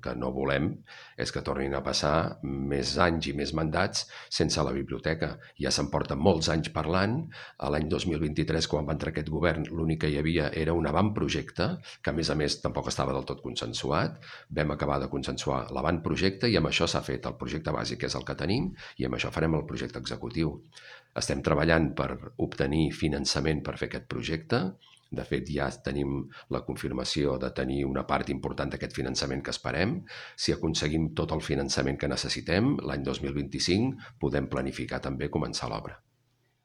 que no volem és que tornin a passar més anys i més mandats sense la biblioteca. Ja se'n porten molts anys parlant. A l'any 2023, quan va entrar aquest govern, l'únic que hi havia era un avantprojecte, que a més tampoc estava del tot consensuat. Vam acabar de consensuar l'avantprojecte i amb això s'ha fet el projecte bàsic, que és el que tenim, i amb això farem el projecte executiu. Estem treballant per obtenir finançament per fer aquest projecte. De fet, ja tenim la confirmació de tenir una part important d'aquest finançament que esperem. Si aconseguim tot el finançament que necessitem, l'any 2025 podem planificar també començar l'obra.